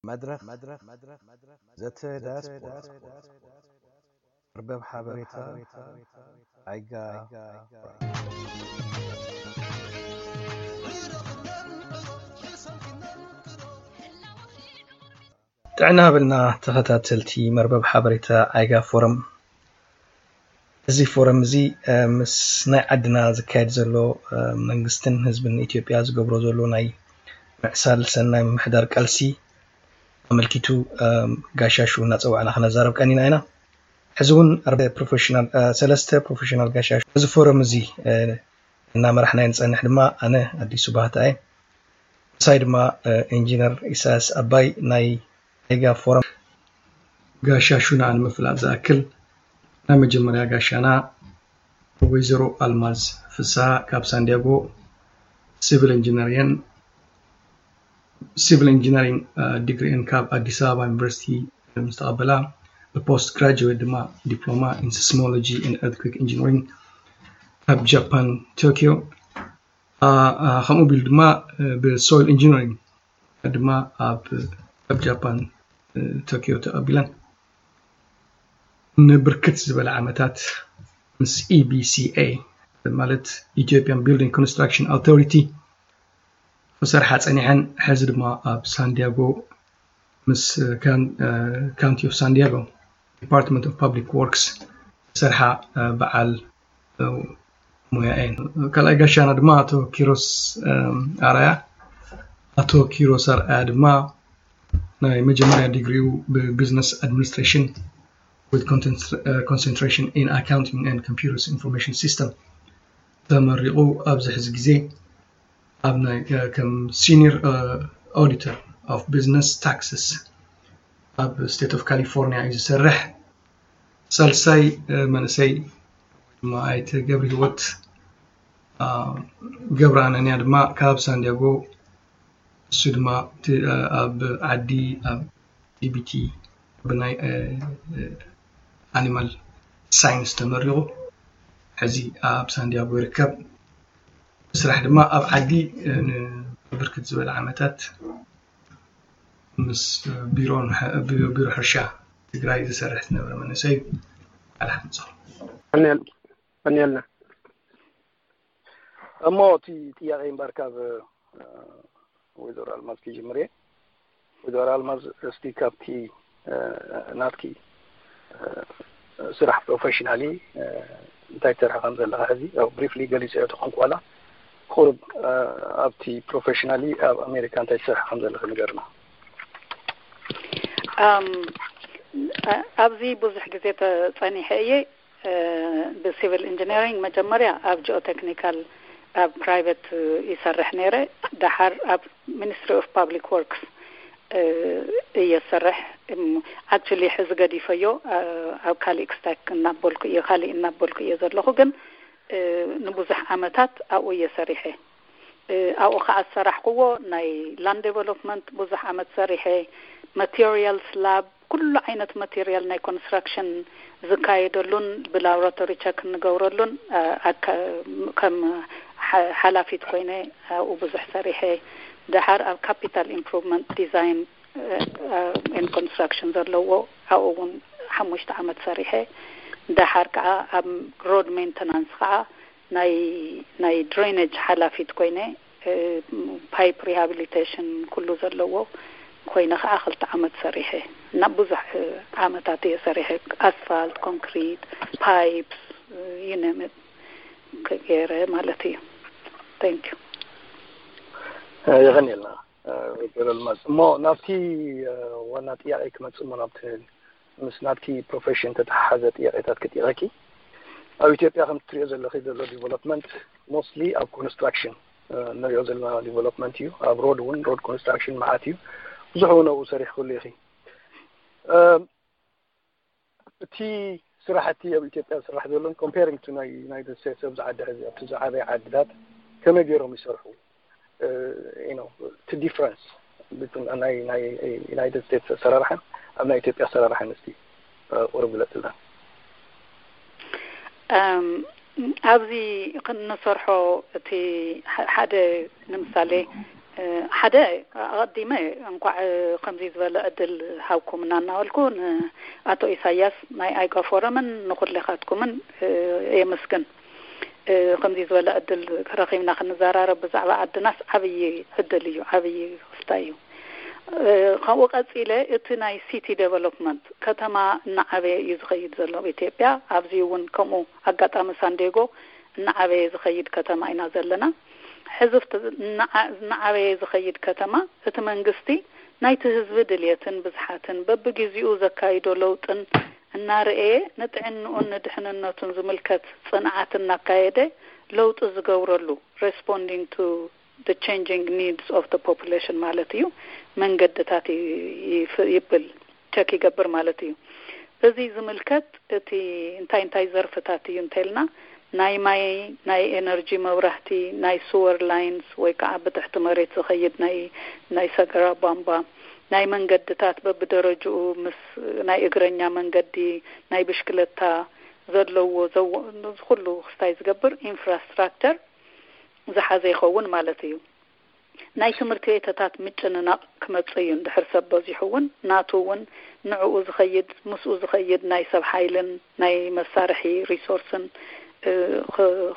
መድረኽ ዘተ ዳያስፖራ፣ መርበብ ሓበሬታ ኣይጋ። ጥዕና ሃበልና ተኸታተልቲ መርበብ ሓበሬታ ኣይጋ ፎረም። እዚ ፎረም እዚ ምስ ናይ ዓድና ዝካየድ ዘሎ መንግስትን ህዝብን ኢትዮጵያ ዝገብሮ ዘሎ ናይ ምዕሳል ሰናይ ምምሕዳር ቃልሲ ኣመልኪቱ ጋሻሹ እናፀዋዕና ክነዛረብ ቀኒና ኢና። ሕዚ እውን ፕሮፌሽናል ሰለስተ ፕሮፌሽናል ጋሻሹ እዚ ፎረም እዚ እናመራሕናዮ ንፀንሕ ድማ ኣነ ኣዲሱ ባህታ እየ። ምሳይ ድማ ኢንጂነር ኢሳያስ ኣባይ ናይ ኣይጋ ፎረም። ጋሻሹና ንምፍላጥ ዝኣክል ናይ መጀመርያ ጋሻና ወይዘሮ ኣልማዝ ፍስሃ ካብ ሳንዲያጎ ሲቪል ኢንጂነሪንግ ሲቪል ኢንጂነሪንግ ዲግሪኤን ካብ ኣዲስ ኣበባ ዩኒቨርሲቲ ምስ ተቐበላ ብፖስት ግራጁዌት ድማ ዲፕሎማ ኢን ሲስሞሎጂ ኤንድ ኤርትኩዌክ ኢንጂነሪንግ ካብ ጃፓን ቶኪዮ ከምኡ ቢሉ ድማ ብሶይል ኢንጂነሪንግ ድማ ኣብ ኣብ ጃፓን ቶኪዮ ተቐቢለን ንብርክት ዝበለ ዓመታት ምስ ኢቢሲኤ ማለት ኢትዮጵያን ቢልዲንግ ኮንስትራክሽን ኣውቶሪቲ ክሰርሓ ጸኒሐን፣ ሕዚ ድማ ኣብ ሳንዲያጎ ምስ ካውንቲ ኦፍ ሳንዲያጎ ዲፓርትመንት ኦፍ ፓብሊክ ወርክስ ዝሰርሓ በዓል ሞያ እየን። ካልኣይ ጋሻና ድማ ኣቶ ኪሮስ ኣርኣያ። ኣቶ ኪሮስ ኣርኣያ ድማ ናይ መጀመርያ ዲግሪኡ ብቢዝነስ ኣድሚኒስትሬሽን with concentration in accounting and computers information system ተመሪቑ ኣብዚ ሕዚ ግዜ ኣብ ናይ ከም ሲኒየር ኦዲተር ኦፍ ቢዝነስ ታክስስ ኣብ ስቴት ኦፍ ካሊፎርኒያ እዩ ዝሰርሕ። ሳልሳይ መንእሰይ ድማ ኣይተ ገብረ ህይወት ገብረ ኣነንያ ድማ ካብ ሳንዲያጎ እሱ ድማ ኣብ ዓዲ ኣብ ዲቢቲ ብናይ ኣኒማል ሳይንስ ተመሪቑ ሕዚ ኣብ ሳንዲያጎ ይርከብ። ብስራሕ ድማ ኣብ ዓዲ ንብርክት ዝበለ ዓመታት ምስ ቢሮ ሕርሻ ትግራይ ዝሰርሕ ዝነበረ መንእሰይ እዩ። ኣልሓምፆ ቀኒልና እሞ እቲ ጥያቄ እምበር ካብ ወይዘሮ ኣልማዝ ክጅምር እየ። ወይዘሮ ኣልማዝ እስቲ ካብቲ ናትኪ ስራሕ ፕሮፌሽናሊ እንታይ ትሰርሒ ከም ዘለካ ሕዚ ያው ብሪፍሊ ገሊፀዮ ተኾንኩ ዋላ ቁሩብ ኣብቲ ፕሮፌሽናሊ ኣብ ኣሜሪካ እንታይ ትሰርሒ ከም ዘለኪ ንገርና። ኣብዚ ብዙሕ ግዜ ተፀኒሐ እየ ብሲቪል ኢንጂነሪንግ መጀመርያ ኣብ ጂኦቴክኒካል ኣብ ፕራይቨት ይሰርሕ ነይረ። ደሓር ኣብ ሚኒስትሪ ኦፍ ፓብሊክ ወርክስ እየ ዝሰርሕ። ኣክቹሊ ሕዚ ገዲፈዮ ኣብ ካሊእ ስታክ እናበልኩ እየ ካሊእ እናበልኩ እየ ዘለኹ፣ ግን ንብዙሕ ዓመታት ኣብኡ እየ ሰሪሐ። ኣብኡ ከዓ ዝሰራሕክዎ ናይ ላንድ ዴቨሎፕመንት ብዙሕ ዓመት ሰሪሐ፣ ማቴሪያልስ ላብ ኩሉ ዓይነት ማቴሪያል ናይ ኮንስትራክሽን ዝካየደሉን ብላቦራቶሪ ቸክ እንገብረሉን ከም ሓላፊት ኮይነ ኣብኡ ብዙሕ ሰሪሐ። ደሓር ኣብ ካፒታል ኢምፕሩቭመንት ዲዛይን ኤንድ ኮንስትራክሽን ዘለዎ ኣብኡ እውን ሓሙሽተ ዓመት ሰሪሐ። ደሓር ከዓ ኣብ ሮድ ሜንተናንስ ከዓ ናይ ናይ ድሬነጅ ሓላፊት ኮይነ ፓይፕ ሪሃቢሊቴሽን ኩሉ ዘለዎ ኮይነ ከዓ ክልተ ዓመት ሰሪሐ እና ብዙሕ ዓመታት እየ ሰሪሐ። ኣስፋልት፣ ኮንክሪት፣ ፓይፕስ፣ you name it ገይረ ማለት እዩ። Thank you። የቐንየልና ወይዘሮ ኣልማዝ። እሞ ናብቲ ዋና ጥያቄ ክመፅእ እሞ ናብቲ ምስ ናትኪ ፕሮፌሽን ተተሓሓዘ ጥያቄታት ክጥየቀኪ። ኣብ ኢትዮጵያ ከም ትሪኦ ዘለኺ ዘሎ ዲቨሎፕመንት ሞስትሊ ኣብ ኮንስትራክሽን ንሪኦ ዘለና ዲቨሎፕመንት እዩ። ኣብ ሮድ እውን ሮድ ኮንስትራክሽን መዓት እዩ። ብዙሕ እውን ኣብኡ ሰሪሕክሉ ኢኺ። እቲ ስራሕቲ ኣብ ኢትዮጵያ ዝስራሕ ዘሎን ኮምፔሪንግ ቱ ናይ ዩናይትድ ስቴትስ ኣብዚ ዓዲ ሕዚ ኣብቲ ዝዓበየ ዓድታት ከመይ ገይሮም ይሰርሑ? እቲ ዲፍረንስ ናይ ናይ ዩናይትድ ስቴትስ ኣሰራርሓን ኣብ ናይ ኢትዮጵያ ኣሰራርሓን እስቲ ቁሩብ ግለፅልና። ኣብዚ ክንሰርሖ እቲ ሓደ ንምሳሌ ሓደ ኣቐዲመ እንኳዕ ከምዚ ዝበለ ዕድል ሃብኩምና እናበልኩ ንኣቶ ኢሳያስ ናይ ኣይጋ ፎረምን ንኹሌኻትኩምን የመስግን። ከምዚ ዝበለ ዕድል ረኺብና ክንዘራረብ ብዛዕባ ዓድናስ ዓብዪ ዕድል እዩ፣ ዓብዪ ክስታይ እዩ። ካብኡ ቀፂለ እቲ ናይ ሲቲ ዴቨሎፕመንት ከተማ እናዓበየ እዩ ዝኸይድ ዘሎ ኣብ ኢትዮጵያ። ኣብዚ እውን ከምኡ ኣጋጣሚ ሳንዴጎ እናዓበየ ዝኸይድ ከተማ ኢና ዘለና። ሕዚ እናዓበየ ዝኸይድ ከተማ እቲ መንግስቲ ናይቲ ህዝቢ ድልየትን ብዝሓትን በብግዜኡ ዘካይዶ ለውጥን እናረኤ ንጥዕንኡን ንድሕንነቱን ዝምልከት ፅንዓት እናካየደ ለውጢ ዝገብረሉ፣ responding to the changing needs of the population ማለት እዩ፣ መንገድታት ይብል፣ ቸክ ይገብር ማለት እዩ። እዚ ዝምልከት እቲ እንታይ እንታይ ዘርፍታት እዩ እንተልና ናይ ማይ፣ ናይ ኤነርጂ፣ መብራህቲ፣ ናይ ስወር ላይንስ ወይ ከዓ ብትሕቲ መሬት ዝኸይድ ናይ ናይ ሰገራ ቧንቧ፣ ናይ መንገድታት በብደረጅኡ ምስ ናይ እግረኛ መንገዲ፣ ናይ ብሽክለታ ዘለዎ ዘዎ ኩሉ ክስታይ ዝገብር ኢንፍራስትራክቸር ዝሓዘ ይኸውን ማለት እዩ። ናይ ትምህርቲ ቤተታት ምጭንናቕ ክመጽእ እዩ። እንድሕር ሰብ በዚሑ እውን ናቱ እውን ንዕኡ ዝኸይድ ምስኡ ዝኸይድ ናይ ሰብ ሓይልን ናይ መሳርሒ ሪሶርስን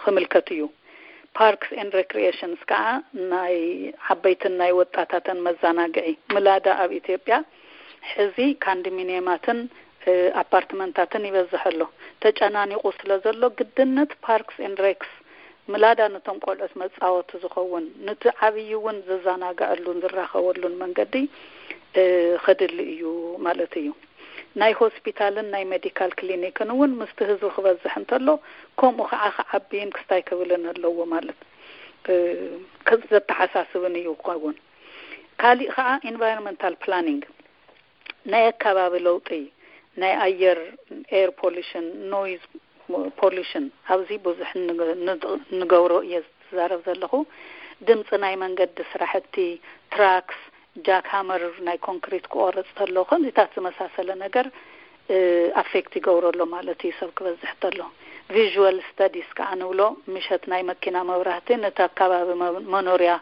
ክምልከት እዩ። ፓርክስ ኤንድ ሬክሪኤሽንስ ከዓ ናይ ዓበይትን ናይ ወጣታትን መዘናግዒ ምላዳ ኣብ ኢትዮጵያ ሕዚ ካንዶሚኒየማትን ኣፓርትመንታትን ይበዝሕ ኣሎ። ተጨናኒቑ ስለ ዘሎ ግድነት ፓርክስ ኤንድ ሬክስ ምላዳ ነቶም ቆልዑት መፃወቲ ዝኸውን፣ ንቲ ዓብዪ እውን ዝዘናግዐሉን ዝራኸበሉን መንገዲ ክድሊ እዩ ማለት እዩ። ናይ ሆስፒታልን ናይ ሜዲካል ክሊኒክን እውን ምስቲ ህዝቢ ክበዝሕ እንተሎ ከምኡ ከዓ ክዓብይን ክስታይ ክብልን ኣለዎ ማለት ዘተሓሳስብን እዩ ክኸውን። ካሊእ ከዓ ኢንቫይሮንመንታል ፕላኒንግ ናይ ኣከባቢ ለውጢ፣ ናይ ኣየር ኤር ፖሊሽን፣ ኖይዝ ፖሊሽን ኣብዚ ብዙሕ ንገብሮ እየ ዝዛረብ ዘለኹ። ድምፂ ናይ መንገዲ ስራሕቲ፣ ትራክስ፣ ጃክ ሃመር ናይ ኮንክሪት ክቆርፅ ተሎ ከምዚታት ዝመሳሰለ ነገር ኣፌክት ይገብሮ ኣሎ ማለት እዩ። ሰብ ክበዝሕ ተሎ ቪዥዋል ስተዲስ ከዓ ንብሎ ምሸት ናይ መኪና መብራህቲ ነቲ ኣከባቢ መኖርያ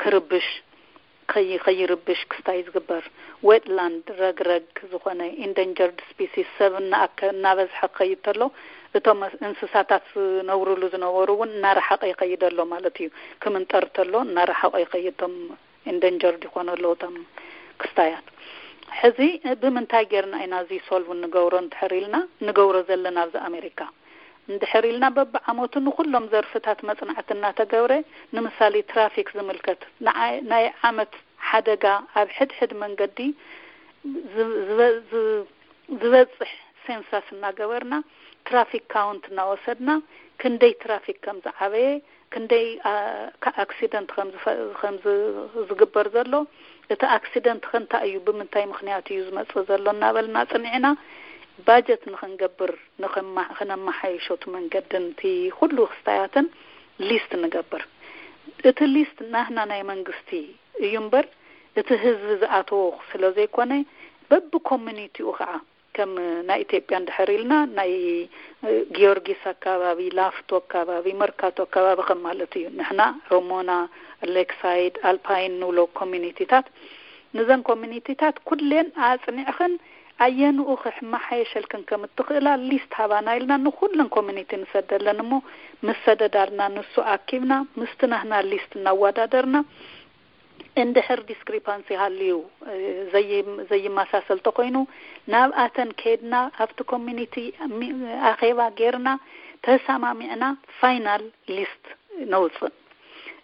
ክርብሽ ከይርብሽ ክስታይ ዝግበር። ዌትላንድ ረግረግ ዝኾነ ኢንደንጀርድ ስፒሲስ ሰብ እናበዝሐ ክኸይድ ተሎ እቶም እንስሳታት ዝነብርሉ ዝነበሩ እውን እናረሓቐ ይኸይድ ኣሎ ማለት እዩ። ክምንጠር ተሎ እናረሓቐ ይኸይድ እቶም ኢንደንጀርድ ይኾኑ ኣለዉ እቶም ክስታያት። ሕዚ ብምንታይ ጌርና ኢና እዚ ሶልቭ ንገብሮ እንድሕር ኢልና ንገብሮ ዘለና ኣብዚ ኣሜሪካ እንድሕር ኢልና በብዓመቱ ንኩሎም ዘርፍታት መፅናዕቲ እናተገብረ ንምሳሌ ትራፊክ ዝምልከት ናይ ዓመት ሓደጋ ኣብ ሕድሕድ መንገዲ ዝበፅሕ ሴንሳስ እናገበርና ትራፊክ ካውንት እናወሰድና ክንደይ ትራፊክ ከም ዝዓበየ ክንደይ ኣክሲደንት ከም ዝግበር ዘሎ እቲ ኣክሲደንት ከንታይ እዩ ብምንታይ ምክንያት እዩ ዝመፅእ ዘሎ እናበልና ፅኒዕና ባጀት ንክንገብር ንክነመሓየሾ እቲ መንገድን እቲ ኩሉ ክስታያትን ሊስት ንገብር። እቲ ሊስት ናህና ናይ መንግስቲ እዩ እምበር እቲ ህዝቢ ዝኣተዎ ስለ ዘይኮነ በቢ ኮሚኒቲኡ ከዓ ከም ናይ ኢትዮጵያ እንድሕር ኢልና ናይ ጊዮርጊስ ኣካባቢ፣ ላፍቶ ኣካባቢ፣ መርካቶ ኣካባቢ ከም ማለት እዩ። ንሕና ሮሞና፣ ሌክሳይድ፣ ኣልፓይን ንብሎ ኮሚኒቲታት ንዘን ኮሚኒቲታት ኩሌን ኣፅኒዕኽን ኣየንኡ ክሕመሓየሸልክን ከም እትኽእላ ሊስት ሃባና ኢልና ንኩለን ኮሚኒቲ ንሰደለን እሞ ምስ ሰደዳልና ንሱ ኣኪብና ምስቲ ናህና ሊስት እናወዳደርና እንድሕር ዲስክሪፓንሲ ሃልዩ ዘይመሳሰል ተኮይኑ ናብኣተን ከይድና ኣብቲ ኮሚኒቲ ኣኼባ ጌርና ተሰማሚዕና ፋይናል ሊስት ነውፅእ።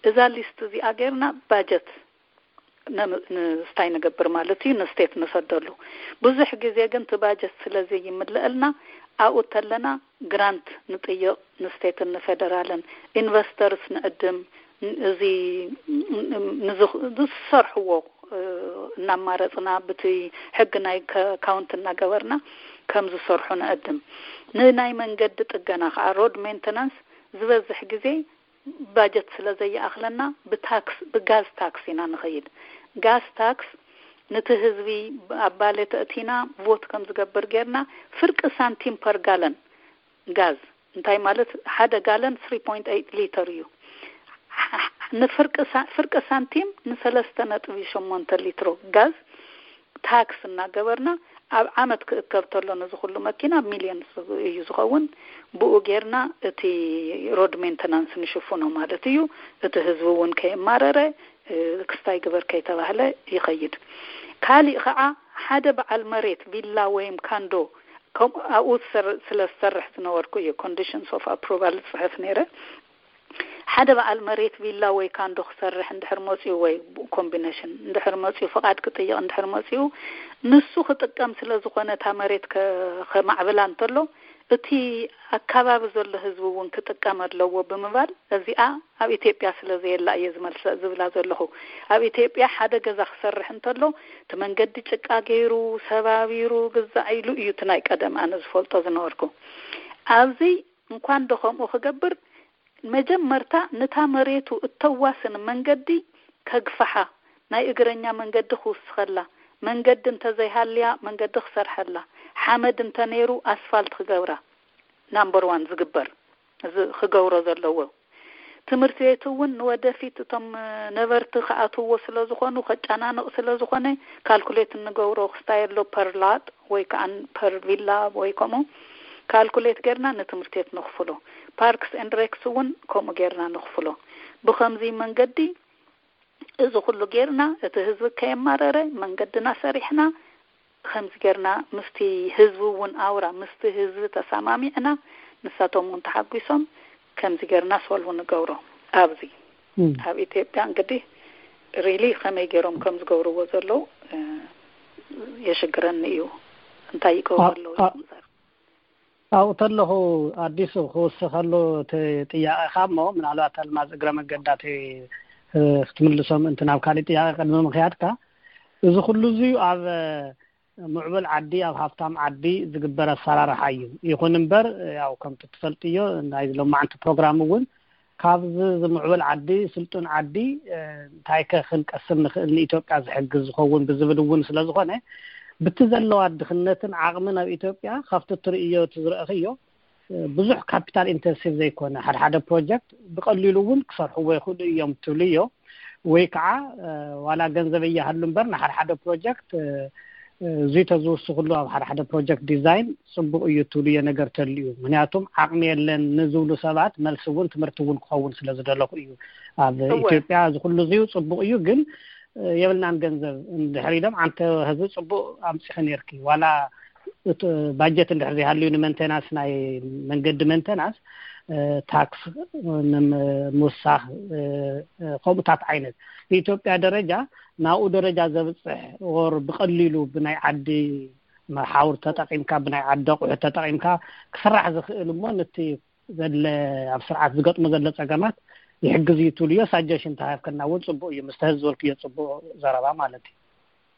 እዛ ሊስት እዚኣ ጌርና ባጀት ንስታይ ንገብር ማለት እዩ፣ ንስቴት ንሰደሉ። ብዙሕ ግዜ ግን እቲ ባጀት ስለ ዘይምለአልና ኣብኡ ተለና ግራንት ንጥይቕ ንስቴትን ንፌደራልን ኢንቨስተርስ ንዕድም እዚ ዝሰርሕዎ እናማረፅና ብቲ ሕጊ ናይ ካውንቲ እናገበርና ከም ዝሰርሑ ንዕድም። ንናይ መንገዲ ጥገና ከዓ ሮድ ሜንተናንስ ዝበዝሕ ግዜ ባጀት ስለ ዘይኣኽለና ብታክስ ብጋዝ ታክስ ኢና ንኸይድ። ጋዝ ታክስ ነቲ ህዝቢ ኣብ ባሌ ተእቲና ቮት ከም ዝገብር ጌርና ፍርቂ ሳንቲም ፐር ጋለን ጋዝ እንታይ ማለት ሓደ ጋለን three point eight ሊተር እዩ። ንፍርቂ ሳ- ፍርቂ ሳንቲም ንሰለስተ ነጥቢ ሸሞንተ ሊትሮ ጋዝ ታክስ እናገበርና፣ ኣብ ዓመት ክእከብ ተሎ ነዚ ኩሉ መኪና ሚልዮን እዩ ዝኸውን። ብኡ ጌርና እቲ ሮድ ሜንተናንስ ንሽፍኖ ማለት እዩ። እቲ ህዝቢ እውን ከየማረረ፣ ክስታይ ግበር ከይተባህለ ይኸይድ። ካሊእ ከዓ ሓደ በዓል መሬት ቪላ ወይም ካንዶ፣ ከምኡ ኣብኡ ዝሰር- ስለ ዝሰርሕ ዝነበርኩ እዩ ኮንዲሽንስ ኦፍ ኣፕሩቫል ዝፅሕፍ ነይረ። ሓደ በዓል መሬት ቪላ ወይ ካንዶ ክሰርሕ እንድሕር መፅኡ፣ ወይ ኮምቢኔሽን እንድሕር መፅኡ፣ ፍቓድ ክጥይቕ እንድሕር መፅኡ፣ ንሱ ክጥቀም ስለ ዝኾነ፣ እታ መሬት ከ- ከማዕብላ እንተሎ፣ እቲ ኣካባቢ ዘሎ ህዝቢ እውን ክጥቀም ኣለዎ ብምባል፣ እዚኣ ኣብ ኢትዮጵያ ስለ ዘየላ እየ ዝመልሰ ዝብላ ዘለኹ። ኣብ ኢትዮጵያ ሓደ ገዛ ክሰርሕ እንተሎ፣ እቲ መንገዲ ጭቃ ገይሩ፣ ሰባቢሩ፣ ግዛዕ ኢሉ እዩ፣ እቲ ናይ ቀደም ኣነ ዝፈልጦ ዝነበርኩ። ኣብዚ እንኳን ዶ ከምኡ ክገብር፣ መጀመርታ ነታ መሬቱ እተዋስን መንገዲ ከግፍሓ፣ ናይ እግረኛ መንገዲ ክውስኸላ፣ መንገዲ እንተዘይሃልያ መንገዲ ክሰርሐላ፣ ሓመድ እንተነይሩ ኣስፋልት ክገብራ፣ ናምበር ዋን ዝግበር፣ እዚ ክገብሮ ዘለዎ። ትምህርቲ ቤት እውን ንወደፊት እቶም ነበርቲ ክኣትውዎ ስለ ዝኾኑ፣ ከጨናንቕ ስለ ዝኾነ፣ ካልኩሌት እንገብሮ ክስታይ ኣሎ፣ ፐር ላት ወይ ከዓ ፐር ቪላ ወይ ከምኡ ካልኩሌት ጌርና ንትምህርቲ ቤት ንኽፍሎ። ፓርክስ ኤንድ ሬክስ እውን ከምኡ ጌርና ንኽፍሎ። ብኸምዚ መንገዲ እዚ ኩሉ ጌርና፣ እቲ ህዝቢ ከየማረረ መንገድና ሰሪሕና፣ ከምዚ ጌርና ምስቲ ህዝቢ እውን ኣውራ፣ ምስቲ ህዝቢ ተሰማሚዕና፣ ንሳቶም እውን ተሓጒሶም፣ ከምዚ ጌርና ሶልቭ ንገብሮ። ኣብዚ ኣብ ኢትዮጵያ እንግዲህ ሪሊ ከመይ ገይሮም ከም ዝገብርዎ ዘለዉ የሽግረኒ እዩ። እንታይ ይገብሩ ኣለዉ? ኣብኡ ተለኹ ኣዲሱ ክውስኸሉ እቲ ጥያቄኻ እሞ፣ ምናልባት ኣልማዝ እግረ መገዳ እቲ ክትምልሶም፣ እንትን ኣብ ካሊእ ጥያቄ ቅድሚ ምኽያድካ፣ እዚ ኩሉ እዚ ኣብ ምዕቡል ዓዲ፣ ኣብ ሃብታም ዓዲ ዝግበር ኣሰራርሓ እዩ። ይኹን እምበር፣ ያው ከምቲ ትፈልጥዮ፣ ናይ ሎማዓንቲ ፕሮግራም እውን ካብዚ ዝምዕብል ዓዲ፣ ስልጡን ዓዲ፣ እንታይ ከ ክንቀስም ንኽእል ንኢትዮጵያ ዝሕግዝ ዝኸውን ብዝብል እውን ስለ ዝኾነ፣ ብቲ ዘለዋ ድኽነትን ዓቕምን ኣብ ኢትዮጵያ ካብቲ ትርእዮ፣ እቲ ዝረእኽዮ፣ ብዙሕ ካፒታል ኢንተንሲቭ ዘይኮነ፣ ሓደ ሓደ ፕሮጀክት ብቐሊሉ እውን ክሰርሕዎ ይኽእሉ እዮም ትብልዮ። ወይ ከዓ ዋላ ገንዘብ እያሃሉ እምበር፣ ንሓደ ሓደ ፕሮጀክት እዙይ ተዝውስኽሉ ኣብ ሓደ ሓደ ፕሮጀክት ዲዛይን ፅቡቕ እዩ ትብልዮ ነገር ተልዩ። ምክንያቱም ዓቕሚ የለን ንዝብሉ ሰባት መልሲ እውን ትምህርቲ እውን ክኸውን ስለ ዝደለኹ እዩ። ኣብ እወ። ኢትዮጵያ እዚ ኩሉ እዚዩ ፅቡቕ እዩ፣ ግን የብልናን ገንዘብ እንድሕር ኢሎም፣ ኣንተ ህዝቢ ፅቡቕ ኣምፂኺ ነይርኪ፣ ዋላ እቲ ባጀት እንድሕር ዘይሃልዩ ንመንቴናንስ፣ ናይ መንገዲ መንቴናንስ፣ ታክስ ንምውሳኽ፣ ከምኡታት ዓይነት ብኢትዮጵያ ደረጃ ናብኡ ደረጃ ዘብፅሕ፣ ኦር ብቐሊሉ ብናይ ዓዲ መሓውር ተጠቒምካ፣ ብናይ ዓዲ ኣቑሑት ተጠቒምካ ክስራሕ ዝኽእል እሞ ነቲ ዘለ ኣብ ስርዓት ዝገጥሞ ዘሎ ጸገማት ይሕግዝ እዩ ትብልዮ ሳጀሽን ተሃብከና እውን ጽቡቕ እዩ። ምስ ተህዝበልክዮ ጽቡቕ ዘረባ ማለት እዩ።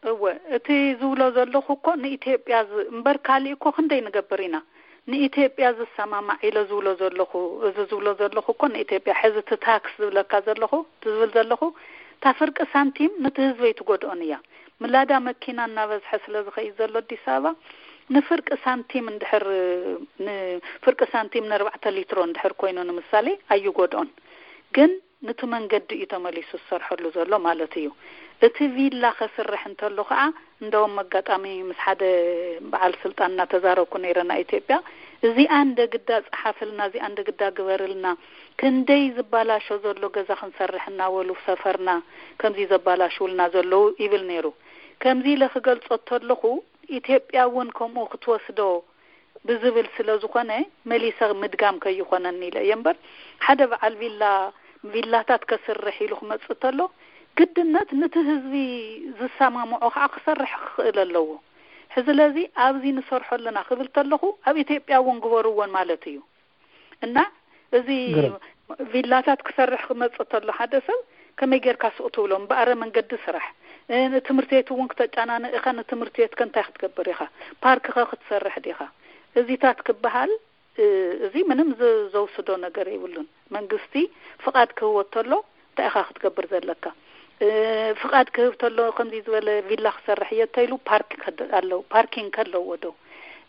እወ፣ እቲ ዝብሎ ዘለኹ እኮ ንኢትዮጵያ ዝ- እምበር ካሊእ እኮ ክንደይ ንገብር ኢና። ንኢትዮጵያ ዝሰማማዕ ኢለ ዝብሎ ዘለኹ፣ እዚ ዝብሎ ዘለኹ እኮ ንኢትዮጵያ፣ ሕዚ እቲ ታክስ ዝብለካ ዘለኹ፣ ዝብል ዘለኹ፣ እታ ፍርቂ ሳንቲም ነቲ ህዝበይ ትጎድኦን እያ። ምላዳ መኪና እናበዝሐ ስለ ዝኸይድ ዘሎ ኣዲስ ኣበባ፣ ንፍርቂ ሳንቲም እንድሕር፣ ንፍርቂ ሳንቲም ንኣርባዕተ ሊትሮ እንድሕር ኮይኑ ንምሳሌ ኣይጎድኦን። ግን ንቲ መንገዲ እዩ ተመሊሱ ዝሰርሐሉ ዘሎ ማለት እዩ። እቲ ቪላ ከስርሕ እንተሎ ከዓ፣ እንደውም ኣጋጣሚ ምስ ሓደ በዓል ስልጣን እናተዛረብኩ ነይረ ናይ ኢትዮጵያ፣ እዚኣ እንደ ግዳ ጸሓፍልና፣ እዚኣ እንደ ግዳ ግበርልና፣ ክንደይ ዝባላሾ ዘሎ ገዛ ክንሰርሕ እናበሉ ሰፈርና ከምዚ ዘባላሽውልና ዘለዉ ይብል ነይሩ። ከምዚ ኢለ ክገልጾ ተለኹ፣ ኢትዮጵያ እውን ከምኡ ክትወስዶ ብዝብል ስለ ዝኾነ፣ መሊሰ ምድጋም ከይኾነኒ ኢለ እየ እምበር፣ ሓደ በዓል ቪላ፣ ቪላታት ከስርሕ ኢሉ ክመጽእ ተሎ፣ ግድነት ንቲ ህዝቢ ዝሰማምዖ ከዓ ክሰርሕ ክኽእል ኣለዎ። ስለዚ ኣብዚ ንሰርሖ ኣለና ክብል ተለኹ፣ ኣብ ኢትዮጵያ እውን ግበርዎን ማለት እዩ። እና እዚ ግርም። ቪላታት ክሰርሕ ክመጽእ ተሎ ሓደ ሰብ ከመይ ጌርካ ሱቕ ትብሎ? እምበኣረ መንገዲ ስራሕ። እ፣ ንትምህርቲ ቤት እውን ክተጨናንቕ ኢኻ፣ ንትምህርቲ ቤት ከ እንታይ ክትገብር ኢኻ? ፓርክ ኸ ክትሰርሕ ዲኻ? እዚታት ክበሃል፣ እ፣ እዚ ምንም ዝ-፣ ዘውስዶ ነገር የብሉን። መንግስቲ ፍቓድ ክህቦ ተሎ እንታይ ኢኻ ክትገብር ዘለካ? እ፣ ፍቓድ ክህብ ተሎ ከምዚ ዝበለ ቪላ ክሰርሕ እየ እንተኢሉ ፓርክ ከደ-፣ ኣለዎ፣ ፓርኪንግ ከለዎ ዶ?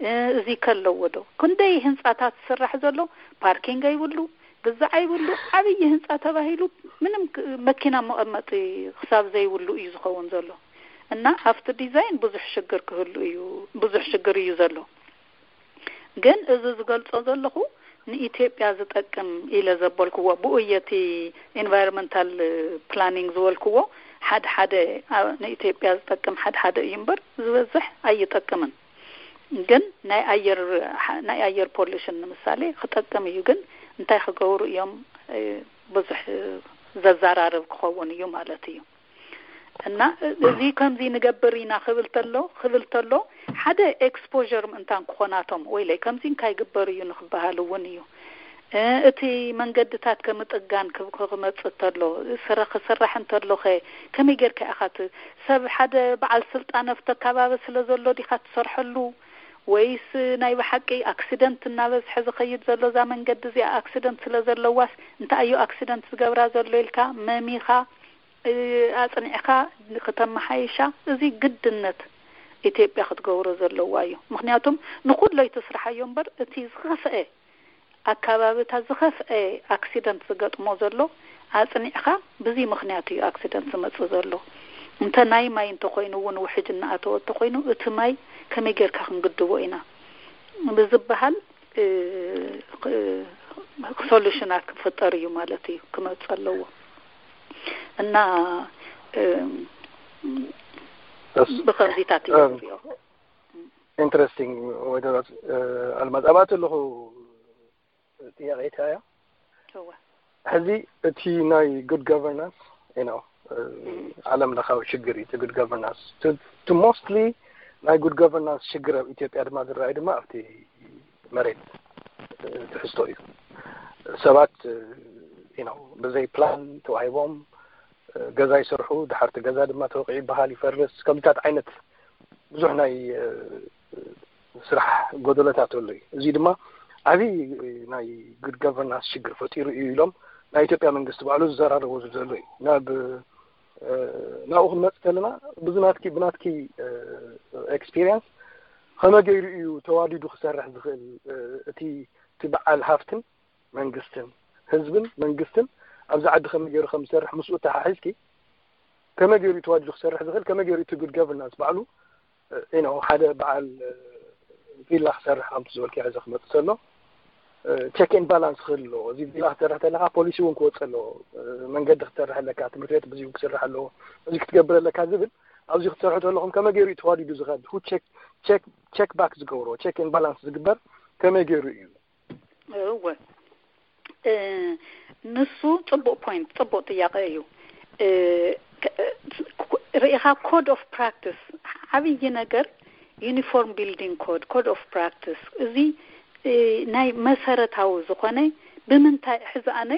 እ፣ እዚ ከለዎ ዶ? ክንደይ ህንጻታት ዝስራሕ ዘሎ ፓርኪንግ ኣይብሉ፣ ግዛዕ ይብሉ። ዓብዪ ህንፃ ተባሂሉ ምንም ክ- መኪና መቐመጢ ክሳብ ዘይብሉ እዩ ዝኸውን ዘሎ። እና ኣብቲ ዲዛይን ብዙሕ ሽግር ክህሉ እዩ፣ ብዙሕ ሽግር እዩ ዘሎ። ግን እዚ ዝገልጾ ዘለኹ ንኢትዮጵያ ዝጠቅም ኢለ ዘበልክዎ፣ ብኡ እየ እቲ ኢንቫይሮንመንታል ፕላኒንግ ዝበልክዎ። ሓደ ሓደ ንኢትዮጵያ ዝጠቅም ሓደ ሓደ እዩ እምበር ዝበዝሕ ኣይጠቅምን። ግን ናይ ኣየር ናይ ኣየር ፖሉሽን ንምሳሌ ክጠቅም እዩ። ግን እንታይ ክገብሩ እዮም? ብዙሕ ዘዘራርብ ክኸውን እዩ ማለት እዩ። እና እዚ ከምዚ ንገብር ኢና ክብል ተሎ ክብል ተሎ ሓደ ኤክስፖር ምእንታን ክኾናቶም ወይለይ ከምዚ እንታይ ግበር እዩ ንክበሃል እውን እዩ። እቲ መንገድታት ከምጥጋን ክመፅእ ተሎ ስረ ክስራሕ እንተሎኸ ከመይ ጌርካ ኢኻ ሰብ ሓደ በዓል ስልጣን ኣብቲ ኣካባቢ ስለ ዘሎ ዲኻ ትሰርሐሉ? ወይስ ናይ ብሓቂ ኣክሲደንት እናበዝሐ ዝኸይድ ዘሎ እዛ መንገዲ እዚኣ ኣክሲደንት ስለ ዘለዋስ እንታይ እዩ ኣክሲደንት ዝገብራ ዘሎ ኢልካ መሚኻ ኣፅኒዕካ ክተመሓይሻ እዚ ግድነት ኢትዮጵያ ክትገብሮ ዘለዋ እዩ። ምክንያቱም ንኩሎ ይትስርሓዮ እምበር እቲ ዝኸፍአ ኣካባቢታት ዝኸፍአ ኣክሲደንት ዝገጥሞ ዘሎ ኣፅኒዕካ ብዚ ምክንያት እዩ ኣክሲደንት ዝመፅእ ዘሎ። እንተ ናይ ማይ እንተኮይኑ እውን ውሕጅ እናኣተወ እንተኮይኑ እቲ ማይ ከመይ ጌርካ ክንግድቦ ኢና ብዝበሃል ሶሉሽናት ክፍጠር እዩ ማለት እዩ ክመፅ ኣለዎ። እና ብከምዚታት እዩ ዝሪኦ። ኢንትረስቲንግ። ወይደሮ ኣልማዝ ኣብኣ ኣለኹ ጥያቄ እያ። ሕዚ እቲ ናይ ጉድ ጋቨርናንስ ነው ዓለም ለኻዊ ሽግር እዩ። ጉድ ጋቨርናንስ ቱ ሞስትሊ ናይ ጉድ ጋቨርናንስ ሽግር ኣብ ኢትዮጵያ ድማ ዝረኣዩ ድማ ኣብቲ መሬት ትሕዝቶ እዩ። ሰባት ነው ብዘይ ፕላን ተዋሂቦም ገዛ ይሰርሑ፣ ድሓርቲ ገዛ ድማ ተወቂዑ ይበሃል፣ ይፈርስ። ከምዚታት ዓይነት ብዙሕ ናይ ስራሕ ጎደለታት ኣሎ እዩ። እዚ ድማ ዓብዪ ናይ ጉድ ጋቨርናንስ ሽግር ፈጢሩ እዩ ኢሎም ናይ ኢትዮጵያ መንግስቲ ባዕሉ ዝዘራረበሉ ዘሎ እዩ። ናብ ናብኡ ክንመፅ ከለና ብዝናትኪ ብናትኪ ኤክስፒሪየንስ ከመይ ገይሩ እዩ ተዋዲዱ ክሰርሕ ዝኽእል? እቲ እቲ በዓል ሃፍትን መንግስትን ህዝብን መንግስትን ኣብዚ ዓዲ ከመይ ገይሩ ከም ዝሰርሕ ምስኡ ተሓሒዝኪ ከመይ ገይሩ ተዋዲዱ ክሰርሕ ዝኽእል ከመይ ገይሩ እቲ ጉድ ጋቨርናንስ ባዕሉ you know ሓደ በዓል ቪላ ክሰርሕ ከምቲ ዝበልክዮ ሕዚ ክመፅእ ዘሎ ቸክ ኤንድ ባላንስ ክህሉ ኣለዎ። እዚ ቪላ ክትሰርሕ ተለካ ፖሊሲ እውን ክወፅእ ኣለዎ። መንገዲ ክትሰርሕ ኣለካ፣ ትምህርቲ ቤት ብዙ ክስራሕ ኣለዎ። እዚ ክትገብር ኣለካ ዝብል ኣብዚ ክትሰርሑ ተለኹም ከመይ ገይሩ እዩ ተዋዲዱ ዝኸድ ሁ ቸክ ባክ ዝገብሮ ቸክ ኤንድ ባላንስ ዝግበር ከመይ ገይሩ እዩ? እወ ንሱ ፅቡቅ ፖይንት ፅቡቅ ጥያቄ እዩ። ርኢኻ ኮድ ኦፍ ፕራክቲስ ዓብዪ ነገር ዩኒፎርም ቢልዲንግ ኮድ ኮድ ኦፍ ፕራክቲስ እዚ ናይ መሰረታዊ ዝኾነ ብምንታይ ሕዚ ኣነ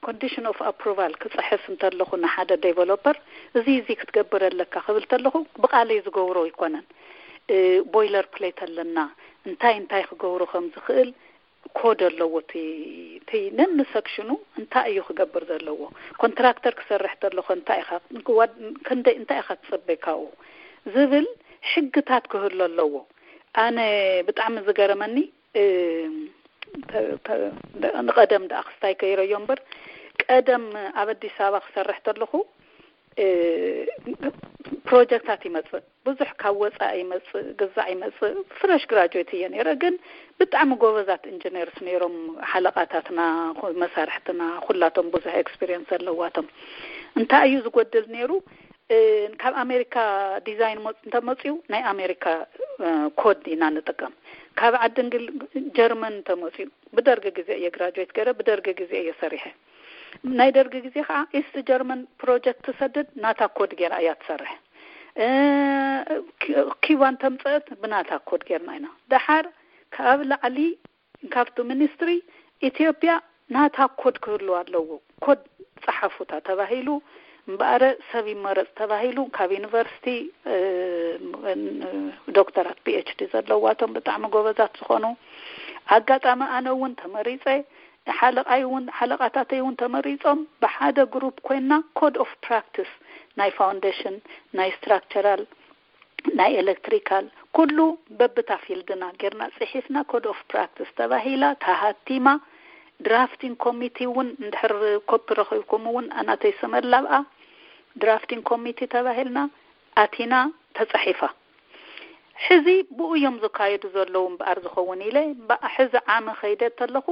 ኮንዲሽን ኦፍ ኣፕሩቫል ክፅሕፍ እንተለኹ ንሓደ ዴቨሎፐር እዚ እዚ ክትገብር ኣለካ ክብል ተለኹ ብቃለይ ዝገብሮ ኣይኮነን። ቦይለር ፕሌት ኣለና እንታይ እንታይ ክገብሮ ከም ዝኽእል ኮድ ኣለዎ። እቲ ነኒ ሰክሽኑ እንታይ እዩ ክገብር ዘለዎ፣ ኮንትራክተር ክሰርሕ ተለኾ እንታይ ኢኻ ክንደይ እንታይ ኢኻ ትፅበይ ካብኡ ዝብል ሕግታት ክህሉ ኣለዎ። ኣነ ብጣዕሚ ዝገረመኒ ንቀደም ደኣ ክስታይ ከይረዮ እምበር ቀደም ኣብ ኣዲስ ኣበባ ክሰርሕ ተለኹ ፕሮጀክታት ይመፅእ ብዙሕ ካብ ወፃኢ ይመፅእ ግዛዕ ይመፅእ ፍረሽ ግራጁዌት እየ ነይረ። ግን ብጣዕሚ ጎበዛት ኢንጂነርስ ነይሮም ሓለቃታትና፣ መሳርሕትና ኩላቶም ብዙሕ ኤክስፒሪየንስ ዘለዋቶም። እንታይ እዩ ዝጎድል ነይሩ? ካብ ኣሜሪካ ዲዛይን እንተመፅኡ ናይ ኣሜሪካ ኮድ ኢና ንጥቀም። ካብ ዓዲ እንግል ጀርመን እንተመፅኡ ብደርጊ ግዜ እየ ግራጁዌት ገይረ፣ ብደርጊ ግዜ እየ ሰሪሐ። ናይ ደርጊ ግዜ ከዓ ኢስት ጀርመን ፕሮጀክት ትሰድድ ናታ ኮድ ገይራ እያ ትሰርሕ። ኪባን ተምፀአት ብናታ ኮድ ገይርና ኢና። ደሓር ካብ ላዕሊ ካብቲ ሚኒስትሪ ኢትዮጵያ ናታ ኮድ ክህሉ ኣለዎ። ኮድ ፀሓፉታ ተባሂሉ እምበኣረ ሰብ ይመረፅ ተባሂሉ ካብ ዩኒቨርሲቲ ዶክተራት ፒኤችዲ ዘለዋቶም ብጣዕሚ ጎበዛት ዝኾኑ ኣጋጣሚ ኣነ እውን ተመሪፀ ሓለቃይ እውን ሓለቃታተይ እውን ተመሪፆም ብሓደ ግሩፕ ኮይና ኮድ ኦፍ ፕራክቲስ ናይ ፋውንዴሽን ናይ ስትራክቸራል ናይ ኤሌክትሪካል ኩሉ በብታ ፊልድና ጌርና ፅሒፍና ኮድ ኦፍ ፕራክቲስ ተባሂላ ተሃቲማ ድራፍቲንግ ኮሚቲ እውን እንድሕር ኮፒ ረኺብኩም እውን ኣናተይ ሰመላብኣ ድራፍቲንግ ኮሚቲ ተባሂልና ኣቲና ተጻሒፋ። ሕዚ ብኡ እዮም ዝካየዱ ዘለዉ እምበኣር ዝኸውን ኢለ፣ በኣ ሕዚ ዓመ ከይደ ተለኹ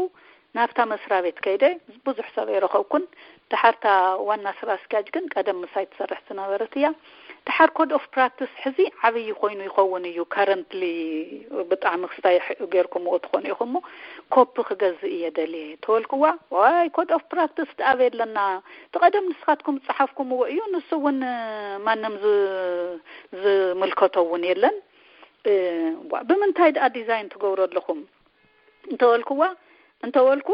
ናብታ መስሪያ ቤት ከይደ ብዙሕ ሰብ ኣይረኸብኩን። ድሓርታ ዋና ስራ ኣስኪያጅ ግን ቀደም ምሳይ ትሰርሕ ዝነበረት እያ። ድሓር ኮድ ኦፍ ፕራክቲስ ሕዚ ዓብዪ ኮይኑ ይኸውን እዩ። ካረንትሊ ብጣዕሚ ክስታይ ጌርኩምዎ ትኾኑ ኢኹም እሞ ኮፒ ክገዝእ እየ ደልየ ተበልኩዋ። ዋይ ኮድ ኦፍ ፕራክቲስ ደኣ ኣበይ ኣለና? እቲ ቀደም ንስኻትኩም ዝጸሓፍኩምዎ እዩ። ንሱ እውን ማንም ዝ- ዝምልከቶ እውን የለን። እ፣ ዋ፣ ብምንታይ ደኣ ዲዛይን ትገብሩ ኣለኹም እንተበልኩዋ፣ እንተበልኩ፣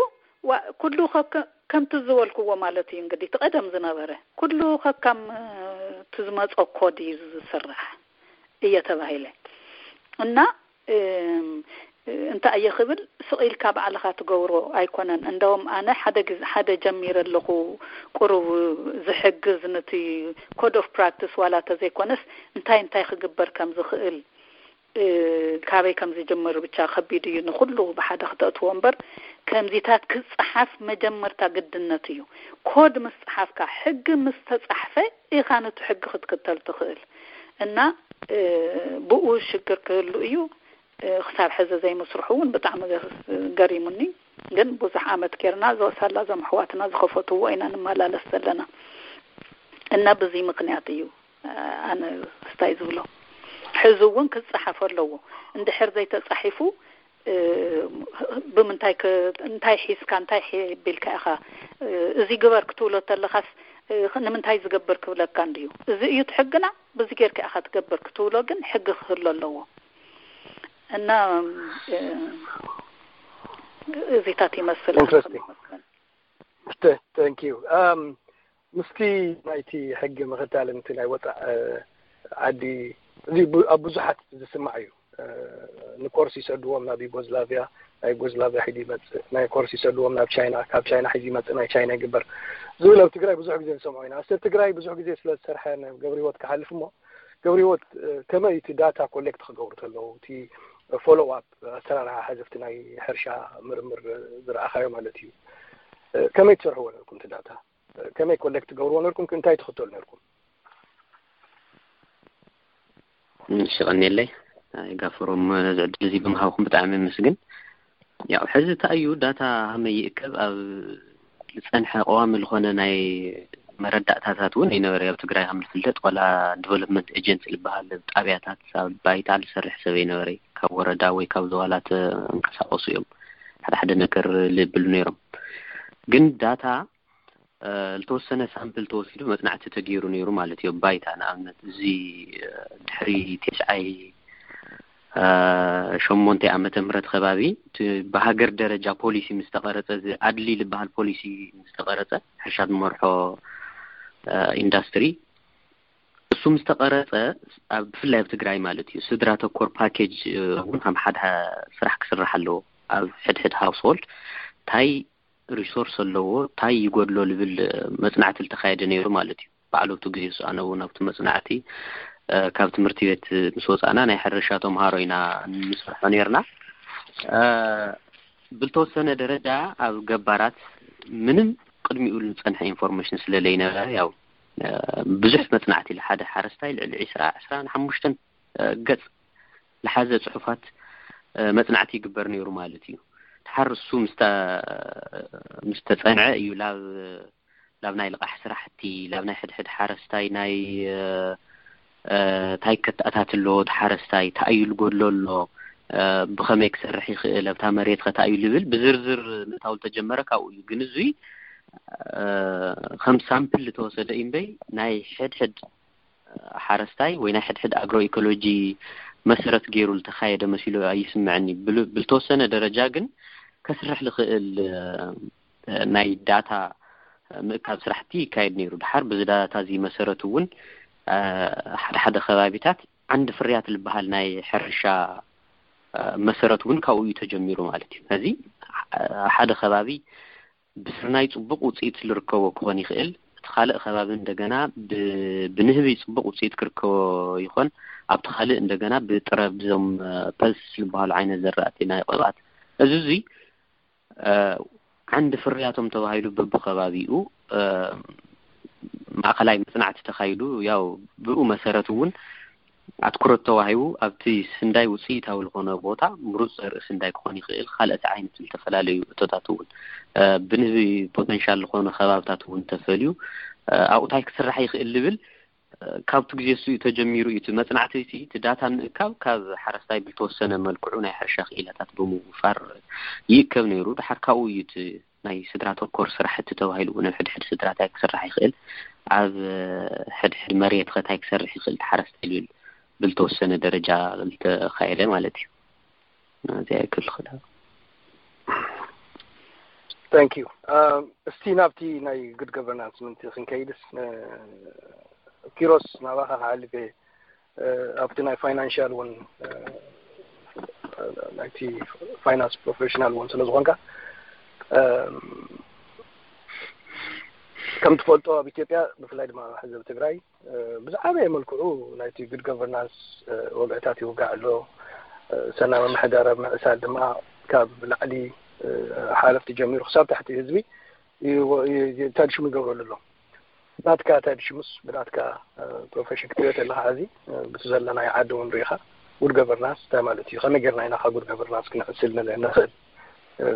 ዋ፣ ኩሉ ከከ- ከምቲ ዝበልኩዎ ማለት እዩ። እንግዲህ እቲ ቀደም ዝነበረ ኩሉ ከካም እቲ ዝመጾ ኮድ እዩ ዝስራሕ እየ ተባሂለ። እና እም፣ እንታይ እየ ክብል፣ ስቕ ኢልካ ባዕልኻ ትገብሮ ኣይኮነን። እንደውም ኣነ ሓደ ግዜ ሓደ ጀሚረ ኣለኹ፣ ቁሩብ ዝሕግዝ፣ ነቲ ኮድ ኦፍ ፕራክቲስ ዋላ ተዘይኮነስ እንታይ እንታይ ክግበር ከም ዝኽእል፣ እ፣ ካበይ ከም ዝጅምር ብቻ ከቢድ እዩ ንኹሉ ብሓደ ክተእትዎ እምበር፣ ከምዚታት ክጸሓፍ መጀመርታ ግድነት እዩ። ኮድ ምስ ጸሓፍካ፣ ሕጊ ምስ ተጻሕፈ ኢኻ ነቲ ሕጊ ክትክተል ትኽእል። እና እ፣ ብኡ ሽግር ክህሉ እዩ። እ፣ ክሳብ ሕዚ ዘይምስርሑ እውን ብጣዕሚ ገ- ገሪሙኒ። ግን ብዙሕ ዓመት ጌርና፣ እዞ ሳላ እዞም ኣሕዋትና ዝኸፈትዎ ኢና ንመላለስ ዘለና። እና ብዚ ምኽንያት እዩ፣ እ፣ ኣነ ስታይ ዝብሎ። ሕዚ እውን ክጸሓፍ ኣለዎ። እንድሕር ዘይተጻሒፉ፣ እ፣ ብምንታይ ክ- እንታይ ሒዝካ፣ እንታይ ሒ- ቢልካ ኢኻ፣ እ፣ እዚ ግበር ክትብሎ ተለኻስ፣ እ፣ ንምንታይ ዝገብር ክብለካ እንድዩ። እዚ እዩ እቲ ሕግና፣ ብዚ ጌርካ ኢኻ ትገብር ክትብሎ ግን ሕጊ ክህሉ ኣለዎ። እና እ፣ እዚታት ይመስል። ኢንትረስቲንግ። ተንክ ዩ። ምስቲ ናይቲ ሕጊ ምኽታልን እቲ ናይ ወፃእ ዓዲ፣ እዚ ቡ- ኣብ ብዙሓት ዝስማዕ እዩ። ንኮርስ ይሰድዎም ናብ ዩጎዝላቪያ፣ ናይ ዩጎዝላቪያ ሒዙ ይመፅእ፣ ናይ ኮርስ ይሰድዎም ናብ ቻይና፣ ካብ ቻይና ሒዙ ይመፅእ፣ ናይ ቻይና ይግበር ዝብል ኣብ ትግራይ ብዙሕ ግዜ ንሰምዖ ኢና። ኣስተ ትግራይ ብዙሕ ግዜ ስለ ዝሰርሐ ናብ ገብረ ህይወት ክሓልፍ እሞ፣ ገብረ ህይወት ከመይ እቲ ዳታ ኮሌክት ክገብሩ ተለዉ፣ እቲ ፎሎው ኣፕ ኣሰራርሓ ሓዘፍቲ ናይ ሕርሻ ምርምር ዝረኣኻዮ ማለት እዩ፣ ከመይ ትሰርሕዎ ነርኩም እቲ ዳታ? ከመይ ኮሌክት ትገብርዎ ነርኩም? እንታይ ትኽተሉ ነርኩም? እሺ፣ ቀኒለይ ጋፍሮም፣ ነዚ ዕድል እዚ ብምሃብኩም ብጣዕሚ የመስግን። ያው ሕዚ እንታይ እዩ ዳታ ሃመይ ይእከብ ኣብ ዝጸንሐ ቀዋሚ ዝኾነ ናይ መረዳእታታት እውን ኣይነበረ። ኣብ ትግራይ ከም ዝፍለጥ ዋላ ዲቨሎፕመንት ኤጀንሲ ዝበሃል ጣብያታት ኣብ ባይታ ዝሰርሕ ሰብ ኣይነበረ። ካብ ወረዳ ወይ ካብ ዘዋላት እንቀሳቀሱ እዮም ሓደ ሓደ ነገር ልብሉ ነይሮም። ግን ዳታ ዝተወሰነ ሳምፕል ተወሲዱ መፅናዕቲ ተገይሩ ነይሩ ማለት እዩ። ባይታ ንኣብነት እዚ ድሕሪ ቴስዓይ ሸሞንተ ዓመተ ምህረት ከባቢ እቲ ብሃገር ደረጃ ፖሊሲ ምስ ተቐረፀ፣ እዚ ኣድሊ ዝበሃል ፖሊሲ ምስ ተቐረፀ፣ ሕርሻ ዝመርሖ ኢንዳስትሪ እሱ ምስ ተቐረፀ፣ ኣብ ብፍላይ ኣብ ትግራይ ማለት እዩ፣ ስድራ ተኮር ፓኬጅ እውን ከም ሓደ ስራሕ ክስራሕ ኣለዎ። ኣብ ሕድሕድ ሃውስሆልድ እንታይ ሪሶርስ ኣለዎ፣ እንታይ ይጎድሎ ዝብል መፅናዕቲ ዝተኻየደ ነይሩ ማለት እዩ። ባዕሉ ኣብቲ ግዜ እሱ ኣነ እውን ኣብቲ መፅናዕቲ ካብ ትምህርቲ ቤት ምስ ወፃእና ናይ ሕርሻ ተምሃሮ ኢና ንሰርሖ ነይርና። ብልተወሰነ ደረጃ ኣብ ገባራት ምንም ቅድሚኡ ዝፀንሐ ኢንፎርሜሽን ስለ ዘይነበረ፣ ያው ብዙሕ መፅናዕቲ፣ ሓደ ሓረስታይ ልዕሊ ዕስራ ዕስራን ሓሙሽተን ገፅ ዝሓዘ ፅሑፋት መፅናዕቲ ይግበር ነይሩ ማለት እዩ። ድሓር እሱ ምስ ተፀንዐ እዩ ላብ ላብ ናይ ልቓሕ ስራሕቲ፣ ላብ ናይ ሕድሕድ ሓረስታይ ናይ እንታይ ከተኣታትሎ፣ እቲ ሓረስታይ እንታይ እዩ ዝጎድሎ ኣሎ፣ ብኸመይ ክሰርሕ ይኽእል፣ ኣብታ መሬት ኸ እንታይ እዩ ዝብል ብዝርዝር ምእታው ዝተጀመረ ካብኡ እዩ። ግን እዙይ ከም ሳምፕል ዝተወሰደ እዩ እምበይ፣ ናይ ሕድሕድ ሓረስታይ ወይ ናይ ሕድሕድ ኣግሮ ኢኮሎጂ መሰረት ገይሩ ዝተኻየደ መሲሉ ኣይስምዐኒ። ብልተወሰነ ደረጃ ግን ከስርሕ ዝኽእል ናይ ዳታ ምእካብ ስራሕቲ ይካየድ ነይሩ። ድሓር ብዚ ዳታ እዚ መሰረት እውን ሓደ ሓደ ከባቢታት ዓንዲ ፍርያት ዝበሃል ናይ ሕርሻ መሰረት እውን ካብኡ እዩ ተጀሚሩ ማለት እዩ። ስለዚ ሓደ ከባቢ ብስርናይ ፅቡቕ ውፅኢት ዝርከቦ ክኾን ይኽእል፣ እቲ ካልእ ከባቢ እንደገና ብንህቢ ፅቡቕ ውፅኢት ክርከቦ ይኾን፣ ኣብቲ ካልእ እንደገና ብጥረ ብዞም ፐልስ ዝበሃሉ ዓይነት ዘራእቲ ናይ ቅብኣት እዚ እዙይ ዓንዲ ፍርያቶም ተባሂሉ በብኸባቢኡ ማእኸላይ መፅናዕቲ ተኻይዱ፣ ያው ብኡ መሰረት እውን ኣትኩሮት ተዋሂቡ ኣብቲ ስንዳይ ውፅኢታዊ ዝኾነ ቦታ ምሩፅ ዘርኢ ስንዳይ ክኾን ይኽእል። ካልኦት ዓይነት ዝተፈላለዩ እቶታት እውን ብንህቢ ፖተንሻል ዝኾነ ከባብታት እውን ተፈልዩ ኣብኡ እንታይ ክስራሕ ይኽእል ዝብል ካብቲ ግዜ እሱ እዩ ተጀሚሩ እዩ። እቲ መፅናዕቲ እቲ ዳታ ምእካብ ካብ ሓረስታይ ብልተወሰነ መልክዑ ናይ ሕርሻ ክኢላታት ብምውፋር ይእከብ ነይሩ። ድሓር ካብኡ እዩ እቲ ናይ ስድራ ተኮር ስራሕቲ ተባሂሉ እውን ኣብ ሕድሕድ ስድራ እንታይ ክስራሕ ይኽእል፣ ኣብ ሕድሕድ መሬት ኸ እንታይ ክሰርሕ ይኽእል ሓረስታይ ዝብል ብልተወሰነ ደረጃ ዝተኻየደ ማለት እዩ። ናዚኣ ይክል ክዳ Thank you. እስቲ ናብቲ ናይ ጉድ ገቨርናንስ ምንቲ ክንከይድስ ኪሮስ ናባኻ ክሓልፍ እየ። ኣብቲ ናይ ፋይናንሻል እውን ናይቲ ፋይናንስ ፕሮፌሽናል እውን ስለ ዝኾንካ ከም ትፈልጦ ኣብ ኢትዮጵያ ብፍላይ ድማ ኣብ ሕዘብ ትግራይ ብዝዓበየ መልክዑ ናይቲ ጉድ ገቨርናንስ ወግዕታት ይውጋዕ ኣሎ። ሰናይ ምምሕዳር ኣብ ምዕሳል ድማ ካብ ላዕሊ ሓለፍቲ ጀሚሩ ክሳብ ታሕቲ ህዝቢ ተድሽሙ ይገብረሉ ኣሎ። ብናትካ ተድሽሙስ ብናትካ ፕሮፌሽን ክትሪኦ ተለካ ሕዚ ብቲ ዘለናዮ ዓዲ እውን ሪኢኻ ጉድ ገቨርናንስ እንታይ ማለት እዩ፣ ከመይ ጌርና ኢና ካብ ጉድ ገቨርናንስ ክንዕስል ንኽእል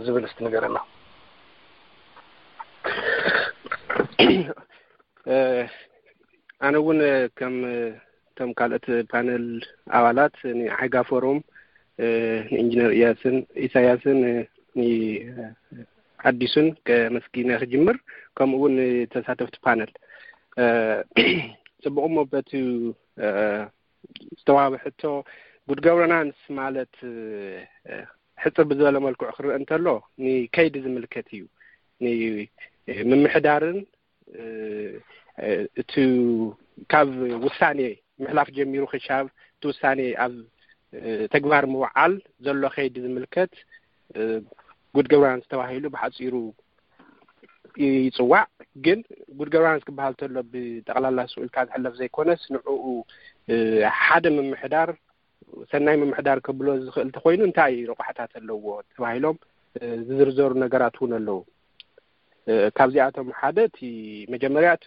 ዝብል እስቲ ንገረና። ኣነ እውን ከም ከም ካልኦት ፓነል ኣባላት ንዓይጋ ፎረም ንኢንጂነር ኢያስን ኢሳያስን ንኣዲሱን ከመስጊነ ክጅምር፣ ከምኡ እውን ንተሳተፍቲ ፓነል ፅቡቕ። እሞ በቲ ዝተዋህበ ሕቶ ጉድ ገቨርናንስ ማለት ሕፅር ብዝበለ መልክዑ ክረአ እንተሎ ንከይዲ ዝምልከት እዩ። ንምምሕዳርን እቲ ካብ ውሳኔ ምሕላፍ ጀሚሩ ክሻብ እቲ ውሳኔ ኣብ ተግባር ምውዓል ዘሎ ከይዲ ዝምልከት ጉድ ገቨርናንስ ተባሂሉ ብሓፂሩ ይፅዋዕ። ግን ጉድ ገቨርናንስ ክበሃል ተሎ ብጠቕላላ ስኡ ኢልካ ዝሕለፍ ዘይኮነስ ንዕኡ ሓደ ምምሕዳር ሰናይ ምምሕዳር ከብሎ ዝኽእል እንተኮይኑ እንታይ ረቋሕታት ኣለዎ ተባሂሎም ዝዝርዘሩ ነገራት እውን ኣለዉ። ካብዚኣቶም ሓደ እቲ መጀመርያ እቲ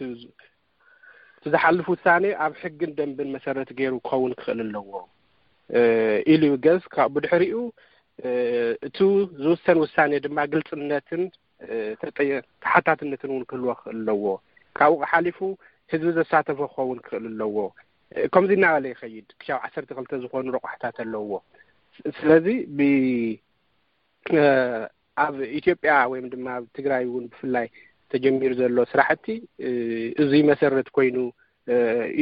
ዝሓልፍ ውሳኔ ኣብ ሕግን ደንብን መሰረት ገይሩ ክኸውን ክኽእል ኣለዎ ኢሉ ይገዝ። ካብ ብድሕሪኡ እቱ ዝውሰን ውሳኔ ድማ ግልፅነትን ተሓታትነትን እውን ክህልዎ ክኽእል ኣለዎ። ካብኡ ሓሊፉ ህዝቢ ዘሳተፎ ክኸውን ክኽእል ኣለዎ። ከምዚ እናበለ ይኸይድ ክሻብ ዓሰርተ ክልተ ዝኾኑ ረቋሕታት ኣለዎ። ስለዚ ብ ኣብ ኢትዮጵያ ወይም ድማ ኣብ ትግራይ እውን ብፍላይ ተጀሚሩ ዘሎ ስራሕቲ እዙይ መሰረት ኮይኑ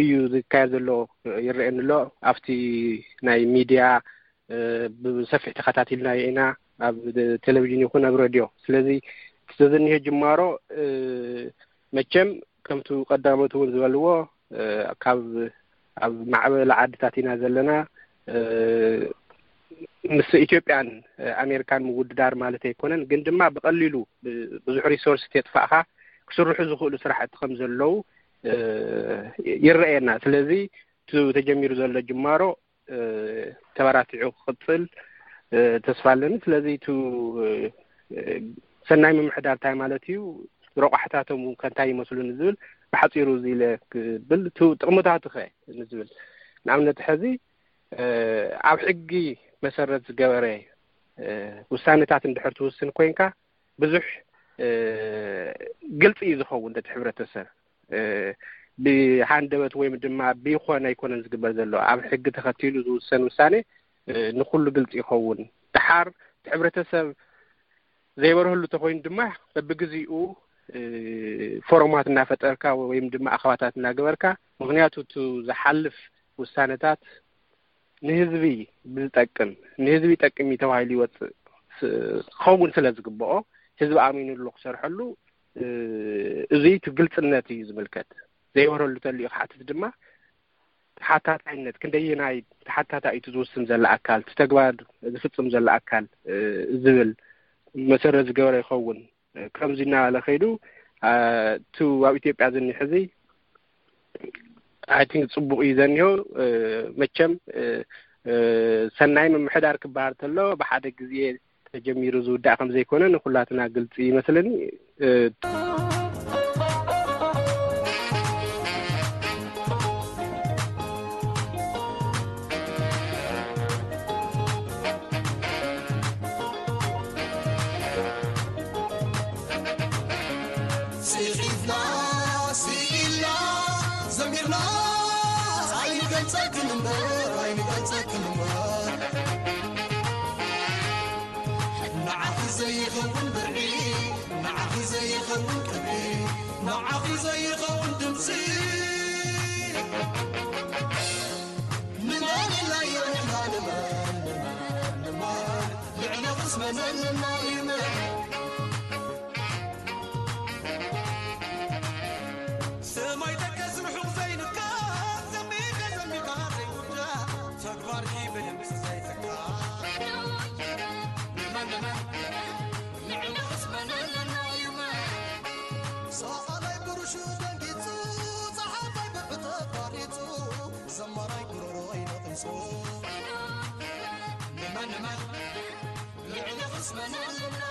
እዩ ዝካየድ ዘሎ ይረአየኒ ኣሎ። ኣብቲ ናይ ሚድያ ብሰፊሕ ተኸታቲልናዮ ኢና፣ ኣብ ቴሌቪዥን ይኹን ኣብ ሬድዮ። ስለዚ እቲ ዘዘኒሀ ጅማሮ መቸም ከምቱ ቀዳሞት እውን ዝበልዎ ካብ ኣብ ማዕበል ዓድታት ኢና ዘለና። ምስ ኢትዮጵያን ኣሜሪካን ምውድዳር ማለት ኣይኮነን፣ ግን ድማ ብቐሊሉ ብዙሕ ሪሶርስ ተጥፋእካ ክስርሑ ዝኽእሉ ስራሕቲ ከም ዘለዉ ይረኣየና። ስለዚ እቲ ተጀሚሩ ዘሎ ጅማሮ ተበራቲዑ ክቕፅል ተስፋ ኣለኒ። ስለዚ እቲ ሰናይ ምምሕዳር እንታይ ማለት እዩ፣ ረቋሕታቶም ከንታይ ይመስሉን ዝብል ብሓፂሩ እዚ ኢለ ክብል፣ እቲ ጥቕምታቱ ኸ ንዝብል ንኣብነት ሕዚ ኣብ ሕጊ መሰረት ዝገበረ ውሳኔታት እንድሕር ትውስን ኮይንካ ብዙሕ ግልፂ እዩ ዝኸውን ነቲ ሕብረተሰብ። ብሃንደበት ወይም ድማ ብይኾነ ኣይኮነን ዝግበር ዘሎ። ኣብ ሕጊ ተኸቲሉ ዝውሰን ውሳኔ ንኩሉ ግልፂ ይኸውን። ድሓር እቲ ሕብረተሰብ ዘይበርህሉ ተኮይኑ ድማ በብግዜኡ ፎረማት እናፈጠርካ ወይም ድማ ኣኸባታት እናገበርካ፣ ምክንያቱ እቲ ዝሓልፍ ውሳነታት ንህዝቢ ብዝጠቅም ንህዝቢ ይጠቅም እዩ ተባሂሉ ይወፅእ ክኸውን ስለ ዝግብኦ ህዝቢ ኣሚኑሉ ክሰርሐሉ እዙይ እቲ ግልፅነት እዩ ዝምልከት። ዘይበረሉ ተልዩ ክሓትት ድማ ተሓታታይነት ክንደየናይ ተሓታታ እዩ ዝውስን ዘለ ኣካል፣ እቲ ተግባር ዝፍፅም ዘለ ኣካል ዝብል መሰረት ዝገበረ ይኸውን። ከምዚ እናበለ ከይዱ እቲ ኣብ ኢትዮጵያ ዝኒ ሕዚ ኣይ ቲንክ ፅቡቅ እዩ ዘኒሆ። መቸም ሰናይ ምምሕዳር ክበሃል ተሎ ብሓደ ግዜ ተጀሚሩ ዝውዳእ ከም ዘይኮነ ንኩላትና ግልጺ ይመስለኒ። ጽሒፍና ስኢልና ዘሚርና ኣይንገልጸክን እምበር ኣይንገልጸክን እምበር ንዓኺ ዘይኸውን ብርዒ ንዓኺ ዘይኸውን ቅብዒ ንዓኺ ዘይኸውን ድምፂ ንመን ኢልናዮ ንሕና ንመን ንመን ንመን ልዕሊ ኽስመን ዘለና ይመን ሰማይ ደቀስ ርሑቕ ዘይንካ ዘሚተ ዘሚታ ዘይውዳ ተግባርኪ ብድምፂ ዘይተካ ንመን ንመን ንዕሊ ኽስመን ኣለና ይመን ሰኣላይ ብርሹ ደንጊጹ ጸሓፋይ ብዕተ ቋሪጹ ዘማራይ ጉሮሮይ ነቒጹ ንመን ንመን ልዕሊ ኽስመን ኣለና